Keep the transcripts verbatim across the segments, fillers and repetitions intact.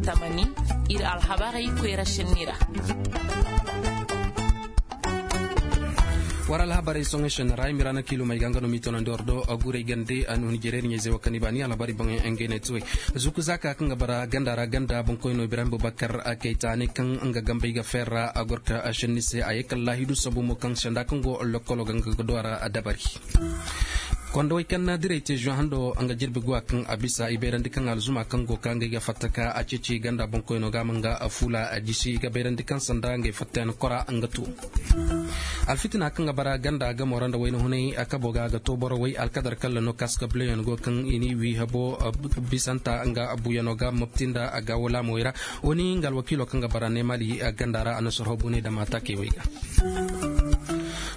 Tamani, ir alhabarey koyra šenni ra. War alhabarey soŋey šenni ra i ma ira na kiilumey ga nga no m'i tonandi war do gurey gande a nuhun jere ir ɲayzey wo kaŋ i baani alhabarey boŋey ngey ne tuwey. Zuku zaka kaŋ ga bara ganda ra ganda boŋkoyno ibrahim bubakar kayta ne kaŋ nga gambey ga feera a gor ka šenni se a ye kala laahidu sambu mo kaŋ senda kaŋ go lokkolo ga nga ga do a ra dabari. Kondowey kaŋ na direy te zuwa hando nga jirbi guwa kaŋ a bisa i bayrandi kaŋ alzuma kaŋ go ka ngey ga fatta ka a ceeci ganda boŋkoyno ga ma nga fula a jisi i ga bayrandi kaŋ sanda ngey fatta yaŋ kora nga to. Alfitina kaŋ ga bara ganda gamo ra nda wayna hunay a kabo ga a ga to boro way alkadar kalla no kaska buleyaŋ go kaŋ i ni wi habo bisanta nga buyano ga mopti nda a ga wala mo ira. Wani nga alwakilo kaŋ ga bara ne mali ganda ra a na sorho bune da mata kay way ga.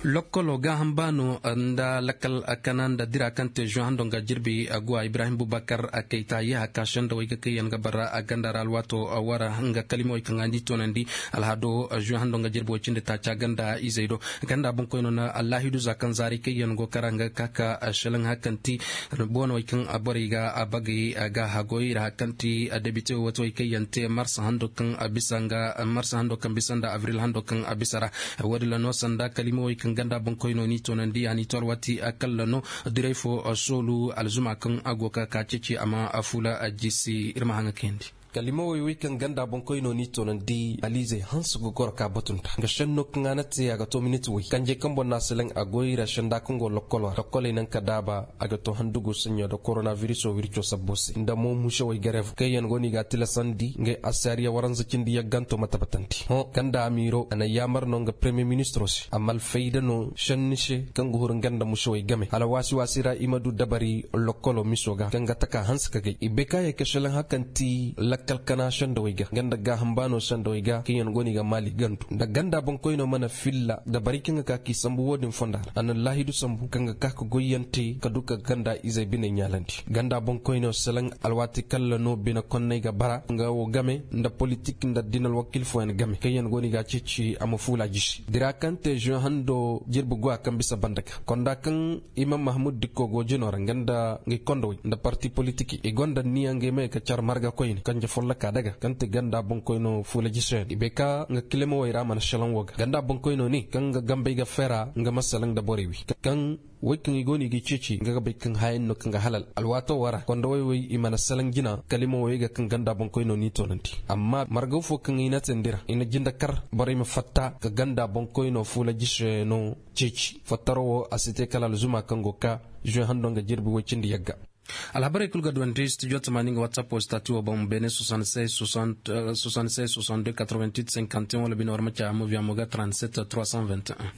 Lokkolo gaaham baano nda lakkal kana nda dira kaŋ te zuwa hando nga jirbi aguwa ibrahim bubakar a kayta yaha ka senda way ga kayyaŋ ga bara a ganda ra alwaato wara nga kalimawey kaŋ a ni toonandi. Alhado zuwa hando nga jirbi way cindi taaca ganda izey do ganda boŋkoyno na allahidu za kaŋ zaari kayyaŋ go kara nga kaka shalaŋ hakanti boonawey kaŋ borey ga bagay ga hagoy ra hakanti debite wata way kayyaŋ te marsa hando kaŋ bisa nga marsa hando kaŋ bisa nda abril hando kaŋ bisa ra. Wadi la no sanda kalimawey kaŋ ganda boŋkoyno ni toonandi a ni to alwati a kalla no diray fo soolu alzuma kaŋ a go ka ka ceeci a ma a fula a jisi ir ma haŋa kayandi. Kalimawey wey kaŋ ganda boŋkoyno ni toonandi aliizey hanse ga goro ka batunta nga senno kaŋ a na te a ga to miniti wey kanjey kaŋ boŋ na a seleŋ a goy ra senda kaŋ go lokkolo ra lokkoley naŋ ka daaba. A ga to handugo saɲɲo nda koronabiriso wirco sabbo se nda mo musewey garev kaŋ yaŋ go no i ga a tilasandi ngay asariya waranza cindi yagganto ma tabbatandi hõ ganda amiiro a na yaamar no nga premiyer ministiro se amma alfayda no senni se kaŋ ga huru nga nda musewey game hala waasi-waasi ra i ma du dabari lokkolo miso ga kaŋ ga taka hanse ka gay i bay ka ye ka selaŋ hakanti lakkal kana sendawey ga nga nda gaaham baano sendawey ga kaŋ yaŋ go no i ga maali gandu nda ganda boŋkoyno mana filla dabari kaŋ ga ka k'i sambu wo-din fonda ra a na laahidu sambu kaŋ ga ka ka goyyaŋ te ka du ka ganda izey biney ɲaalandi ganda boŋkoyno selaŋ alwaati kalla no bine konney ga bara nga wo game nda politik nda addina alwakiil fooyaŋ game kaŋ yaŋ go no i ga a ceeci a ma fuula jisi dira kaŋ te zuwe hando jirbi guwa kaŋ bisa banda ga konda kaŋ imam mahamud dikko go jino ra nga nda ngay kondowey nda parti politik i gonda niya ngay may ka car marga koyne kanje folloka daga kaŋ te ganda boŋkoyno fuula jisoyaŋ i bay ka nga kilimawey ra mana selaŋ wo ga ganda boŋkoyno ne kaŋ nga gambey ga feera nga ma selaŋ nda borey wi kaŋ wey kaŋ i go no i ga ceeci nga ga bay kaŋ hayan no kaŋ ga halal alwaato wara kondowey wey i mana selaŋ jina kalimawey ga kaŋ ganda boŋkoyno n'i toonandi amma margaw fo kaŋ i na teendi ra i na jinde kar borey ma fatta ka ganda boŋkoyno fuula jisoyaŋ no ceeci fattaro wo a si te kala alzuma kaŋ go ka zuwe hando nga jirbi woy cindi yagga. Alhabarey kul ga duwandi studio tamaani nga whatsapp wo stati wo boŋ benin soixante-seize soixante-deux quatre-vingt-huit cinquante et un wala bine war ma ca moviamo ga trente-sept trois cent vingt et un.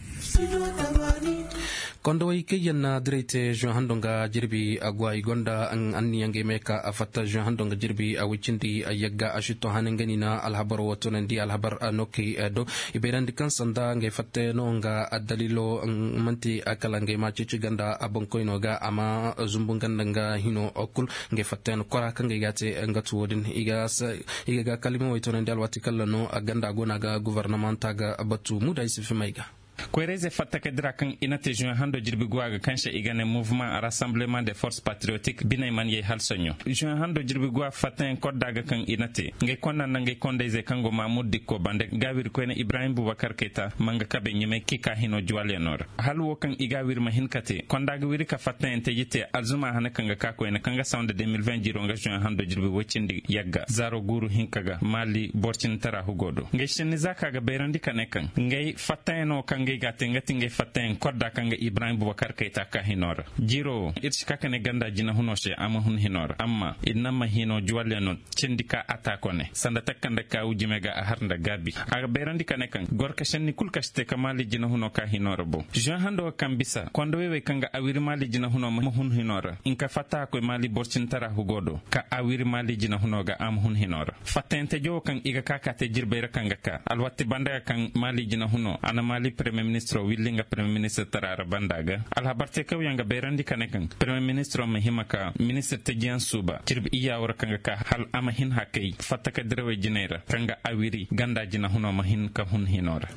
Kondowey kaŋ yaŋ na diray te zuwe hando nga jirbi aguwa i gonda anniya ngey me ka a fatta zuwe hando nga jirbi a woy cindi yagga a si to hane nga ni na alhabaro wo toonandi alhabar no kay do i bayrandi kaŋ sanda ngey fatta yaŋ no nga addaliilo manti kala ngey ma ceeci ganda boŋkoyno ga a ma zumbu nga nda nga hino kul ngey fatta yaŋ kora kaŋ ngey ga a te nga tu wo-din i ga kalimawey toonandi alwaati kalla no ganda go no a ga gobornamanta ga batu muda i si fimay ga. Koyrayzey fatta ka dira kaŋ i na te zuwe hando jirbi guwa ga kaŋ se i ga ne mouvement rassemblement de force patriotique biney man yay hala soɲõ zuwe hando jirbi guwa fattayaŋ kodda ga kaŋ i na te ngey konda nda ngey kondayzey kaŋ go maamur dikko bande gaawiri koyne ibrahim bubakar kayta ma nga kabe ɲumay k'i ka hino juwalyano ra hala wo kaŋ i ga a wiri ma hin ka te konda ga wiri ka fattayaŋ teji te alzuma hane kaŋ ga ka koyne kaŋ ga saw nda deux mille vingt jiro nga zuwe hando jirbi woy cindi yagga zaaro guuru hinka ga maali boro cindi tara hugo do ngey senni za ka ga bayrandi ka ne kaŋ ngey fattayaŋo kaŋ ngey ga a te nga ti ngey fattayaŋ kodda kaŋ ga ibrahim bubakar kayta ka hino ra jiro wo ir si ka ka ne ganda jinahuno se a ma hun hino ra amma i na ma hino juwalyano cindi ka a ta kone sanda takka nda kaawu jime ga a har nda gaabi a ga bayrandi ka ne kaŋ goro ka senni kul ka si te ka maali jinahuno ka hino ra boŋ zuwe hando ga kaŋ bisa konda wey wey kaŋ ga a wiri maali jinahuno ma hun hino ra nka fatta a koy maali boro cindi tara hugo do ka a wiri maali jinahuno ga a ma hun hino ra fattayaŋ tejo wo kaŋ i ga ka ka te jirbey ra kaŋ ga ka alwatti banda ga kaŋ maali jinahuno a na maali premiyer ministiro willi nga premiyer ministir tara ra banda ga alhabar teekawyaŋ ga bayrandi ka ne kaŋ premiyer ministiro ma hima ka ministir tejiyaŋ suuba jirbi iyaawo ra kaŋ ga ka hala a ma hin hakay fatta ka dirawey jinay ra kaŋ ga a wiri ganda jinahuno ma hin ka hun hino ra.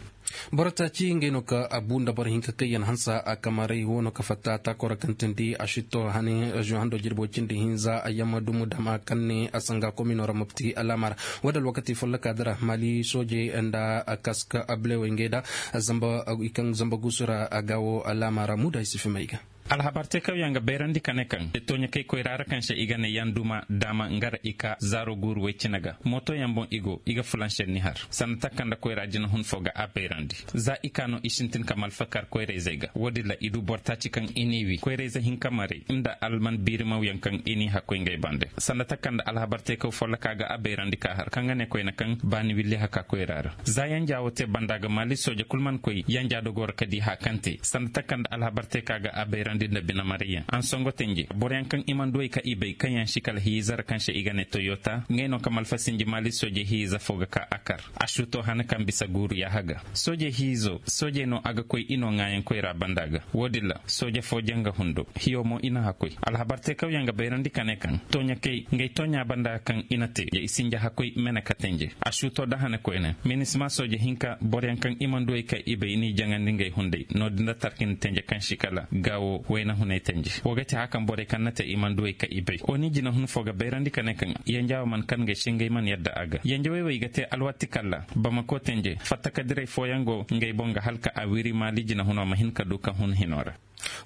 Boro taaci ngey no ka a bu nda boro hinka kaŋ yaŋ hansa a kamaray wo no ka fatta taakora kaŋ tindi a sitto hane reziyoŋ hando jirbo cindi hinza a yamma dumu dama kaŋ ne a sanga komino ra mopti alaama ra. Wo da alwakati folloka dira maali soojey nda kaska ablewey ngey da zamba i kaŋ zamba guusu ra a gaawo alaama ra muuda i si fimay ga. Alhabar teekawyaŋ ga bayrandi ka ne kaŋ tooɲakey koyra ra kaŋ se i ga ne yaŋ duma daama nga ra i ka zaaro guuru woy cine ga mootoyaŋ boŋ i go i ga fulanse ni har sanda takanda koyra jinahun fo ga a bayrandi. Za i ka no i sintin ka malfa kar koyrayzey ga wo-din ra i du boro taaci kaŋ i n'i wi koyrayze hinka maray nda alman biirimawyaŋ kaŋ i n'i hakkoy ngey bande sanda takanda alhabar teekaw folloka ga a bayrandi ka har kaŋ ga ne koyne kaŋ baani willi haka koyra ra. Za yanja wo te banda ga maali sooje kul man koy yanja dogo ra ka di haa kaŋ te sanda takanda alhabar te ka ga a bayrandi nda bine marayyaŋ ansongo tenje boroyaŋ kaŋ i mana duwey ka i bay kaŋ yaŋ si kala hiiza ra kaŋ se i ga ne toyota ngey no ka malfa sinji maali sooje hiiza fo ga ka a kar. A suuto hane kaŋ bisa guuru yaaha ga sooje hiizo soojey no a ga koy i no ŋaayaŋ koyra banda ga wo-din ra sooje fo janga hundo hiyo mo i na hakoy alhabar teekawyaŋ ga bayrandi ka ne kaŋ tooɲakey ngey tooɲa banda kaŋ i na te i sinja hakoy mene ka tenje a suuto da hane koyne minisma sooje hinka boroyaŋ kaŋ i mana duwey ka i bay n'i jaŋandi ngey hunday no-din da tarkindi tenje kaŋ si kala gaawo wayna hunay tenje wo ga ti haya kaŋ borey kaŋ na te i mana duwey ka i bay oni jinahun fo ga bayrandi ka ne kaŋ yanjaawo mana kar ngey se ngey mana yadda a ga yanjawey wey ga te alwatti kalla bamako tenje fattakadirey fooyaŋ go ngey boŋ ga hala ka a wiri maali jinahuno ma hin ka du ka hun hino ra.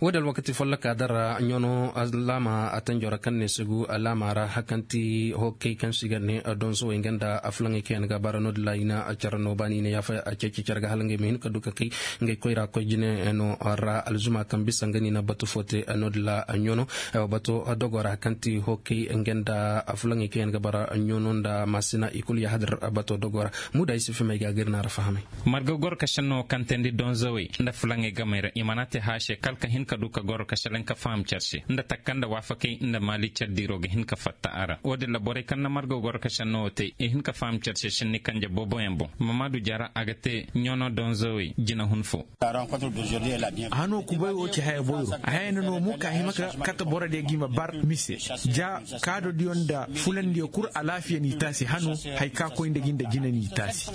Wo-din alwakati folloka dara ɲono alaama a tanjo ra kaŋ ne sugu alaama ra hakanti hokkey kaŋ si ga ne donso wey nga nda afulaŋey kaŋ yaŋ ga bara no-din ra i na care no baani i na yaafa ceeci care ga hala ngey ma hin ka du ka kay ngey koyra koy jine no ra alzuma kaŋ bisa nga no i na batu fo te no-din ra ɲono bato dogo ra kaŋ ti hokkey nga nda afulaŋey kaŋ yaŋ ga bara ɲono nda maasina i kulu yaahadir bato dogo ra. Muuda i si fimay ga ga ir na ra fahamay. Marga goro ka senno kaŋ teendi donzawey nda fulaŋey gamey ra i mana te haya se kala ka hin ka du ka goro ka selaŋ ka faham care se nda takka nda waafakey nda maali care diiro ga hin ka fatta a ra wo-din ra borey kaŋ na marga goro ka senno wo te i hin ka faham care se senni kanje booboyaŋ boŋ mamaadu jara a ga te ɲono donzawey jinahun fo. Hano kubay wo ci haya boyro a haya na no mo ka hima ka kate borodiyo ga i ma bar mise ja kaadodiyo nda fulandiyo kul alaafiya n'i taasi hano haya ka koy nda gi nda jine n'i taasi.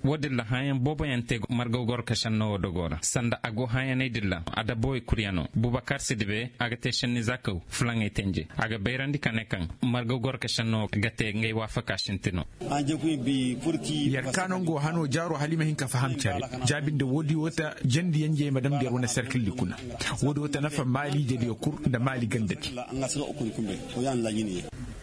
Wo-din ra hãayaŋ booboyaŋ te margaw goro ka senno wo dogo ra sanda a go hãayaney din ra adabawey kuryaŋo bubakar sidibe a ga te senni zaakaw fulaŋey tenje a ga bayrandi ka ne kaŋ margaw goro ka senno ga te ngey waafaka sintino. Yer ka no nga wo hano jaaro hala i ma hin ka faham care jaabi nda woodi wo ta jandi yanjey ma damndi yer wane serkildi kuna. Woodi wo ta nafa maali jediyo kul nda maali gandadi.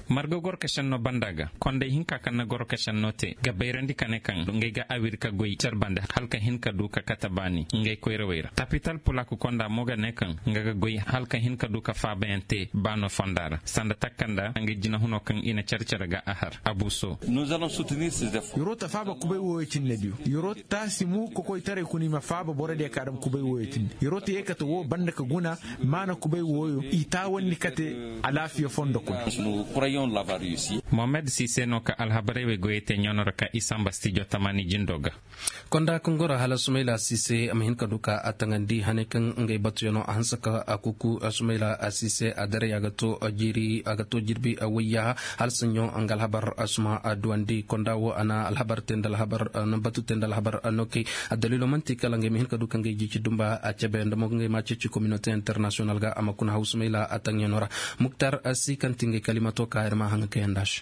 Marga goro ka senno banda ga konday hinka kaŋ na goro ka senno te ga bayrandi ka ne kaŋ ngey ga awir ka goy care bande hala ka hin ka du ka kate baani ngey koyrawey ra tapital pulak konda mo ga ne kaŋ nga ga goy hala ka hin ka du ka faabayaŋ te baano fonda ra sanda takanda ngey jinahuno kaŋ i na care care ga a har abuso. Yeroo ta faaba kubay wooyo cinne diyo yeroo ta si mu kokoytaray kuna i ma faaba borodiyo ka dam kubay wooyo cinne yeroo ta yeekate woo banda ka guna maana kubay wooyo i taawandi kate alaafiya fondo kuna. Mohamed sise no ka alhabarey wey goyey te ɲono ra ka i samba stijo tamaani jindo ga. Konda kaŋ goro hala sumayla sise a ma hin ka du ka a taŋandi haney kaŋ ngey batuyaŋo a hanse ka a kuku sumayla sise a daray a ga to jiiri a ga to jirbi wayyaha hala saɲɲo nga alhabar suma a duwandi konda wo a na alhabar te nda alhabar na batu te nda alhabar no kay. Addaliilo man'ti kala ngey ma hin ka du ka ngey jiici dumba a cebe nda mo ka ngey ma ceeci kominote internasiyonal ga a ma kuna haw sumayla a taŋyaŋo ra. Muktar si kaŋ ti ngey kalimato ka ir ma haŋa kayanda se.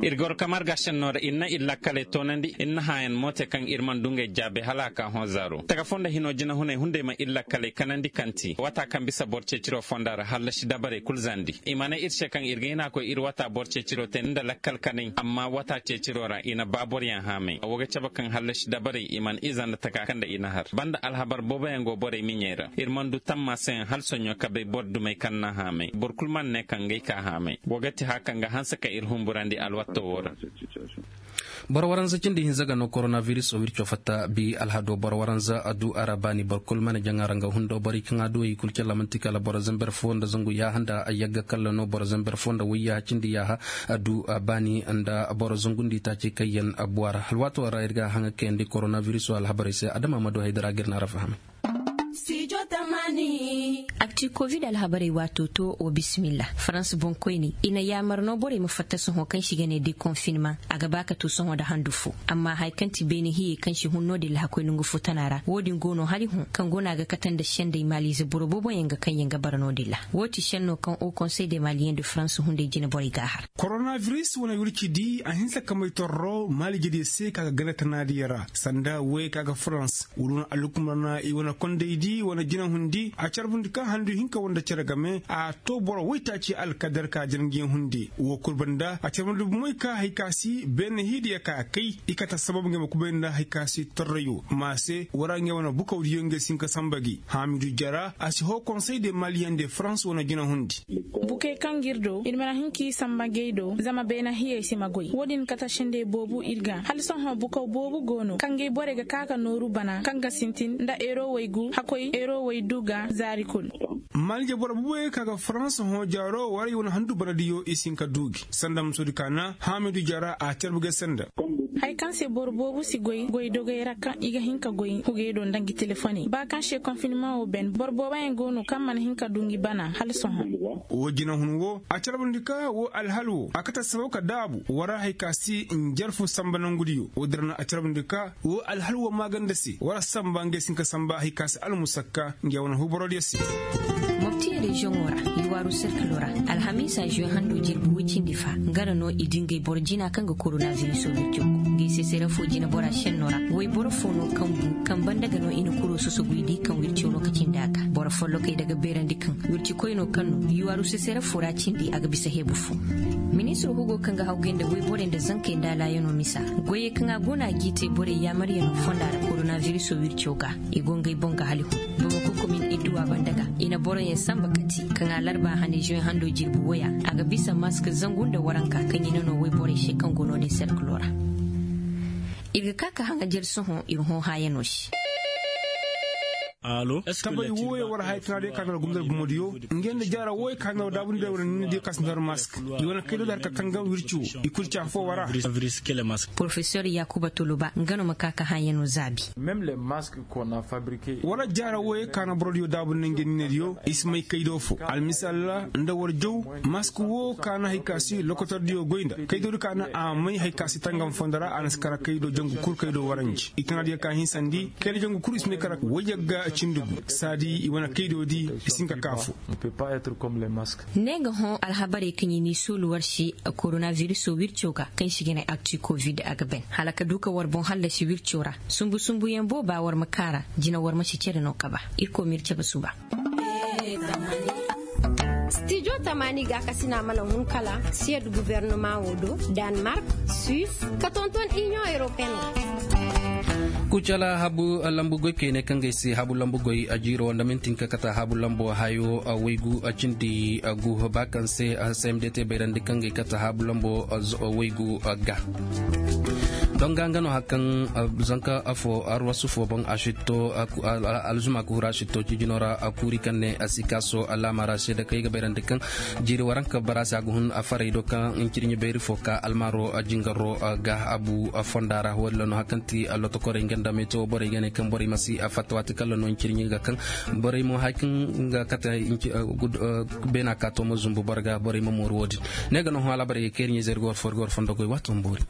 Ir goro ka marga senno ra ir na ir lakkaley toonandi ir na hãayan mo te kaŋ ir mana du ngey jaabe hala a ka hõ zaaro taga fo nda hino jinahuney hunday ma ir lakkaley kanandi kaŋ ti waata kaŋ bisa boro ceeciro fonda ra hallasi dabarey kul zandi i ma ne ir se kaŋ ir ga hin a koy ir waata boro ceeciro te nda lakkal kanay amma waata ceeciro ra i na ba boroyaŋ haamay wo ga cabe kaŋ hallasi dabarey i mana iza nda taka kaŋ nda i na har banda alhabar booboyaŋ go borey miɲey ra ir mana du tammaseyaŋ hala soɲõ ka bay boro dumey kaŋ na haamay boro kul mana ne kaŋ ngey ka haamay wo ga ti haya kaŋ ga hanse ka ir humburandi alwatto wo ra. Boro waranza cindi hinza ga no koronaviris wirco fatta bi alhado boro waranza a du a ra baani boro kul mana jaŋa ra nga hundo borey kaŋ a du i kul calla man'ti kala boro zamber fo nda zangu yaaha nda yagga kalla no boro zamber fo nda wayyaha cindi yaaha a du a baani nda boro zangundi taaci kaŋ yaŋ a buwa ra alwaato ra ir ga haŋa kayandi koronaviriso alhabarey se adama ma du haydara ga ir na ra fahamay. Studio Akti covid alhabarey waato to wa bisimilla farans boŋkoyney i na yaamar no borey ma fatta sohõ kaŋ si ga ne de konfinmaŋ. A ga ba ka to sohõ nda handu fo amma haya kaŋ ti beene hiyey kaŋ si hun no-din lahakoy nongu fo tana ra wo-din go no hari hõ kaŋ go no a ga kate nda sendey maaliize boro booboyaŋ ga kaŋ yaŋ ga bara no-din ra. Wo ti senno kaŋ o konsey de maaliyeŋ de farans hunday jine borey ga a har. Koronabiris wane wirci di a hinsa kamay torro maaliijediyo se ka ga gana tanaadiyo ra sanda woyey ka ga farans wala wane alhukumar na i wane kondey di wane jinahundi a carbundi ka handu hinka wanda cere game a to boro woytaaci alkadar ka jangiyaŋ hundi wo kul banda a carbundi bumoy ka hari ka si beene hiidiyo ka kay i kate assabab ngey ma kubay nda hari ka si torrayo ma se wara ngey wane bukawdiyo ngey si hin ka samba gi hamidu jara a si hoo konsey de maliyaŋ de farans wane jinahundi. Bukey kaŋ ga ir do ir mana hin ka i samba ngey do zama beene hiyey si ma goy wo-din kate sendey boobu ir ga hala sohõ bukaw boobu go no kaŋ ga ay borey ga ka ka nooru bana kaŋ ga sintin nda eero waygu hakoy eero waydu ga zaari kul. Maalije boro booboyaŋ ka ga farans hõ jaaro waray wane handu banadiyo i si hin ka du gi sanda musoodi ka na hamidu jaara a carbu ga ay sanda. Haya kaŋ se boro boobu si goy goy dogey ra kaŋ i ga hin ka goy hugey do nda ngi telefoney ba kaŋ se konfinmaŋo ben boro booboyaŋ go no kaŋ mana hin ka du ngi bana hala sohõ. Wo jinahun wo a carbundi ka wo alhal wo a kate assabab ka daabu wara hari ka si njarfu samba nongudiyo wo-din ra no a carbundi ka wo alhal wo maaganda se wara samba ngey si hin ka samba hari ka si almusakka ngey wane huuborodiyo se. Mopti reziyoŋo ra, i waaru serkilo ra, alhamiisa zuwe hando jirbi woy cindi fa nga ra no i dingay boro jina kaŋ ga koronabiriso wirco go. Ngey se sere fo jinebora senno ra woy boro fo no kaŋ bu kaŋ banda ga no i na kuro soso goy di kaŋ wirco no ka cindi a ga boro follokey daga beerandi kaŋ wirci koyno kaŋ no i waaru se sere fo ra cindi a ga bisa heebu fo. Ministir hugo kaŋ ga hawgay nda woy borey nda zankey nda alaayano misa goyey kaŋ a go no a g'i te borey yaamaryaŋo fonda ra koronabiriso wirco ga i go ngey boŋ ga hali hun. Bamako komin idduwa banda ga i na boroyaŋ sanba kati kaŋ a larba hane zuwe hando jirbi woya a ga bisa mask zangu nda waranka kaŋ i na no woy borey se kaŋ go no-din serkilo ra. Ir ga ka ka haŋajer sohõ ir hõ haayano se. Tabay wooyo war haya tana day ka na war gumdar bumodiyo. Ngey nda jaara wooyo ka na war daabundiyo war ninnidiyo ka si na war mask. I wane kaydo da har ka tangam wirci wo i kul ci afo wara. Porofesor yakuba toloba nga no ma ka ka haayano zaabi. Wala jaara wooyo ka na borodiyo daabu nda ngey ninediyo i si may kaydo fo almisal ra nda war jaw. Mask wo ka na hari ka si lokotordiyo goy nda kaydo di ka na a may hari ka si tangam fondo ra a na si kara kaydo jangu kul kaydo waranji i tana diyo ka hinsandi kaydo jangu kul i si may kara wayagga cindi gu saadi i wane kaydo di i si hin ka ka fo. Ne ga hõ alhabarey kaŋ i n'i soolu war se koronabiriso wirco ga kaŋ si ga ne akti kovid a ga ben hala ka du ka war boŋ hallasi wirco ra. Sumbu sumbuyaŋ booba war ma kaara jina war ma si cere no kaba. Irkoy m'ir cabe suba. Stijo tamaani gaakasina mana hun kala siyad gubernama wo do, danmark, suis, ka tonton inion europeen. Kucala habu lambu goy kayne kaŋ ga ay se habu lambu goy a jiiro nda mintin ka kata habu lambu hayo waygu cindi gu ba kaŋ se cmd te bayrandi kaŋ ga ay kata habu lambu waygu ga. Donga nga no hari kaŋ zanka afo arwasu fo boŋ a sitto alzuma ka huru a sitto cijino ra kuuri kaŋ ne a si kaaso alaama ra seeda kaŋ ay ga bayrandi kaŋ jiiri waranka bara se a ga hun a faray do kaŋ ncirɲi bayri fo ka almaaro jingaro ga abu fonda ra wo-din ra no hari kaŋ ti lotokorey nga nda metewo borey ga ne kaŋ borey ma si a fatta waati kaŋ ra no ncirɲi ga kaŋ borey mo hari kaŋ ga kate beena ka to ma zumbu boro ga borey ma mooru wo-din. Ne ga no hõ alabarey ga kayri ɲizey ra ga war fo ir ga war fondo goy waato ma boori.